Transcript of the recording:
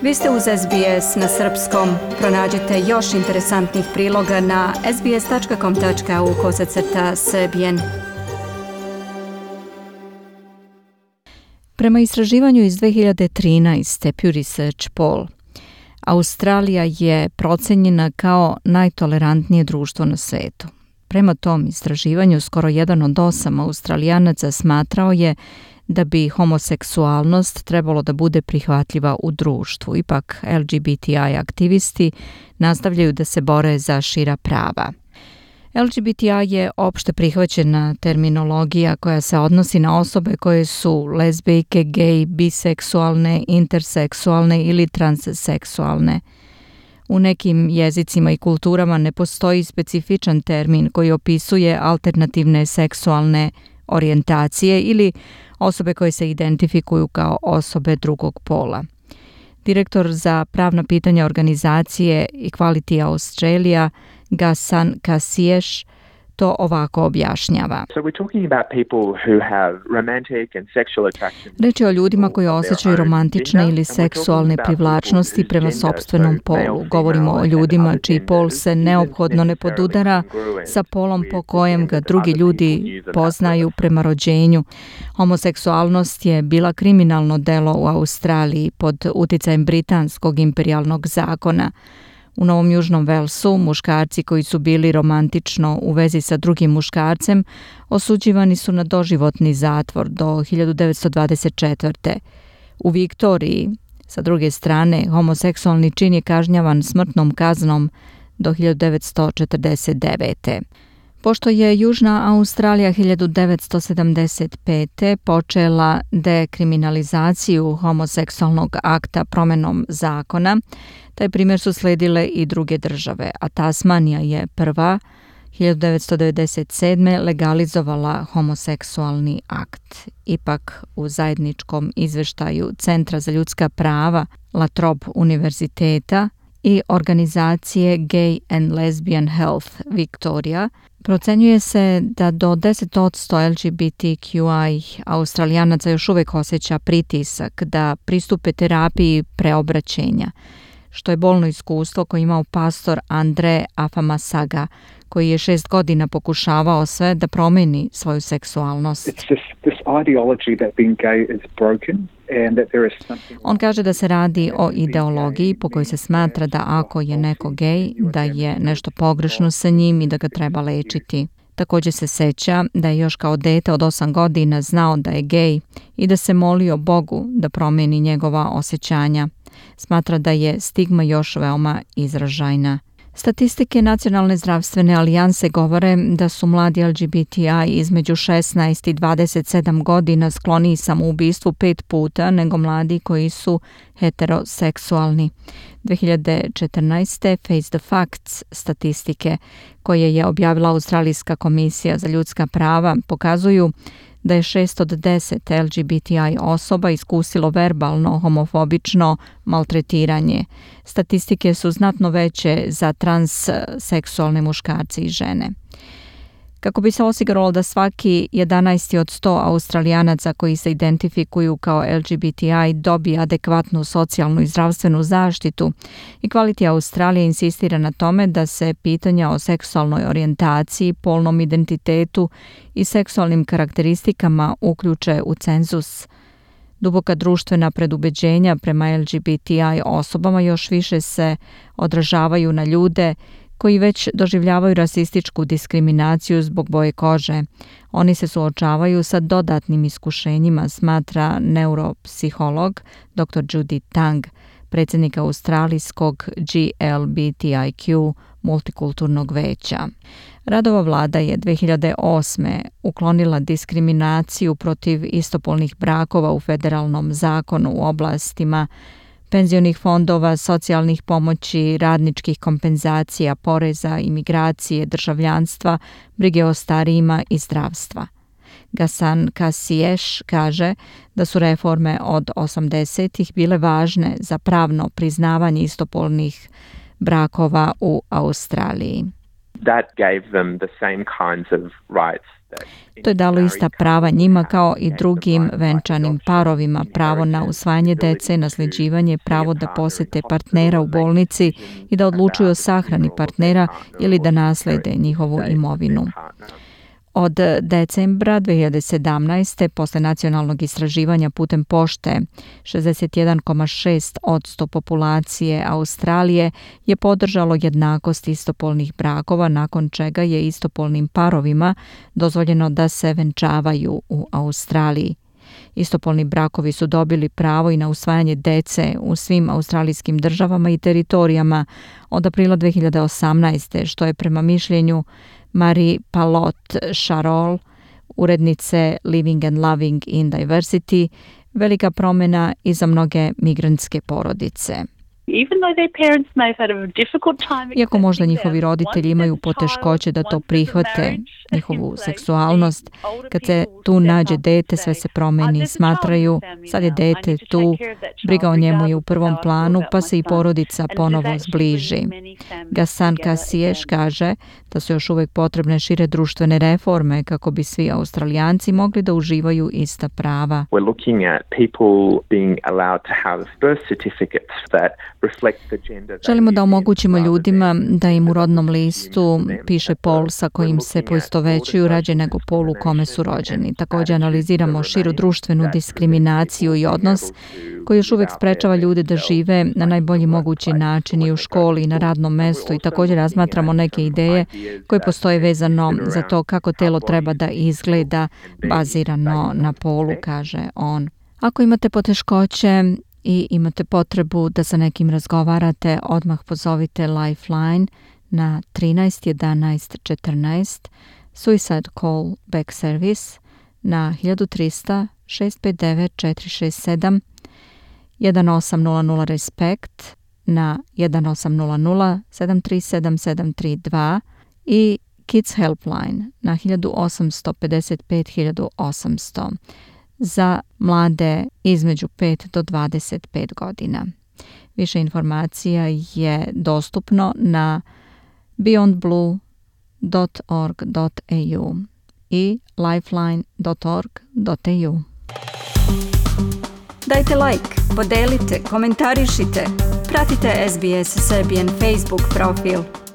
Vi ste uz SBS na srpskom. Pronađite još interesantnih priloga na sbs.com.au/srbijen. Prema istraživanju iz 2013. Pew Research Poll, Australija je procenjena kao najtolerantnije društvo na svetu. Prema tom istraživanju, skoro 1 od 8 Australijanaca smatrao je da bi homoseksualnost trebalo da bude prihvatljiva u društvu. Ipak, LGBTI aktivisti nastavljaju da se bore za šira prava. LGBTI je opšte prihvaćena terminologija koja se odnosi na osobe koje su lezbijke, gej, biseksualne, interseksualne ili transseksualne. U nekim jezicima i kulturama ne postoji specifičan termin koji opisuje alternativne seksualne orijentacije ili osobe koje se identifikuju kao osobe drugog pola. Direktor za pravna pitanja organizacije Equality Australia, Ghassan Kassiesh, to ovako objašnjava. Reč je o ljudima koji osjećaju romantične ili seksualne privlačnosti prema sopstvenom polu. Govorimo o ljudima čiji pol se neophodno ne podudara sa polom po kojem ga drugi ljudi poznaju prema rođenju. Homoseksualnost je bila kriminalno delo u Australiji pod uticajem britanskog imperijalnog zakona. U Novom Južnom Velsu muškarci koji su bili romantično u vezi sa drugim muškarcem osuđivani su na doživotni zatvor do 1924. U Viktoriji, sa druge strane, homoseksualni čin je kažnjavan smrtnom kaznom do 1949. Pošto je Južna Australija 1975. počela dekriminalizaciju homoseksualnog akta promenom zakona, taj primjer su sledile i druge države, a Tasmanija je prva 1997. legalizovala homoseksualni akt. Ipak u zajedničkom izveštaju Centra za ljudska prava La Trobe univerziteta i organizacije Gay and Lesbian Health Victoria procenjuje se da do 10% LGBTQI Australijanaca još uvijek osjeća pritisak da pristupe terapiji preobraćenja, što je bolno iskustvo koje imao pastor Andre Afamasaga, koji je 6 godina pokušavao sve da promeni svoju seksualnost. On kaže da se radi o ideologiji po kojoj se smatra da ako je neko gej, da je nešto pogrešno sa njim i da ga treba lečiti. Također se seća da je još kao dete od 8 godina znao da je gej i da se molio Bogu da promeni njegova osjećanja. Smatra da je stigma još veoma izražajna. Statistike Nacionalne zdravstvene alijanse govore da su mladi LGBTI između 16 i 27 godina skloniji samoubistvu 5 puta nego mladi koji su heteroseksualni. 2014. Face the Facts statistike koje je objavila Australijska komisija za ljudska prava pokazuju da je 6 od 10 LGBTI osoba iskusilo verbalno homofobično maltretiranje. Statistike su znatno veće za transseksualne muškarce i žene. Kako bi se osiguralo da svaki 11 od 100 Australijanaca koji se identifikuju kao LGBTI dobije adekvatnu socijalnu i zdravstvenu zaštitu, Equality Australia insistira na tome da se pitanja o seksualnoj orijentaciji, polnom identitetu i seksualnim karakteristikama uključe u cenzus. Duboka društvena predubeđenja prema LGBTI osobama još više se odražavaju na ljude koji već doživljavaju rasističku diskriminaciju zbog boje kože. Oni se suočavaju sa dodatnim iskušenjima, smatra neuropsiholog dr. Judy Tang, predsjednik Australijskog GLBTIQ multikulturnog veća. Radova vlada je 2008. uklonila diskriminaciju protiv istopolnih brakova u federalnom zakonu u oblastima penzionih fondova, socijalnih pomoći, radničkih kompenzacija, poreza, imigracije, državljanstva, brige o starijima i zdravstva. Ghassan Kassiesh kaže da su reforme od 80-ih bile važne za pravno priznavanje istopolnih brakova u Australiji. That gave them the same kinds of rights. To je dalo ista prava njima kao i drugim venčanim parovima, pravo na usvajanje dece, nasljeđivanje, pravo da posete partnera u bolnici i da odlučuju o sahrani partnera ili da naslede njihovu imovinu. Od decembra 2017. posle nacionalnog istraživanja putem pošte, 61,6% populacije Australije je podržalo jednakost istopolnih brakova, nakon čega je istopolnim parovima dozvoljeno da se venčavaju u Australiji. Istopolni brakovi su dobili pravo i na usvajanje dece u svim australijskim državama i teritorijama od aprila 2018. što je prema mišljenju Marie Palot-Charol, urednice Living and Loving in Diversity, velika promjena i za mnoge migrantske porodice. Iako možda njihovi roditelji imaju poteškoće da to prihvate, njihovu seksualnost, kad se tu nađe dete, sve se promeni. Smatraju, sad je dete tu, briga o njemu je u prvom planu, pa se i porodica ponovo zbliži. Gassan Kasiješ kaže da su još uvijek potrebne šire društvene reforme kako bi svi Australijanci mogli da uživaju ista prava. Želimo da omogućimo ljudima da im u rodnom listu piše pol sa kojim se poistovećuju rađe nego pol u kome su rođeni. Također analiziramo širu društvenu diskriminaciju i odnos koji još uvijek sprečava ljude da žive na najbolji mogući način i u školi i na radnom mestu i također razmatramo neke ideje koje postoje vezano za to kako telo treba da izgleda bazirano na polu, kaže on. Ako imate poteškoće i imate potrebu da sa nekim razgovarate, odmah pozovite Lifeline na 13 11 14, Suicide Call Back Service na 1300 659 467, 1800 Respect na 1800 737 732 i Kids Helpline na 1855 1800 za mlade između 5 do 25 godina. Više informacija je dostupno na beyondblue.org.au i lifeline.org.au. Dajte like, podelite, komentarišite, pratite SBS Serbian Facebook profil.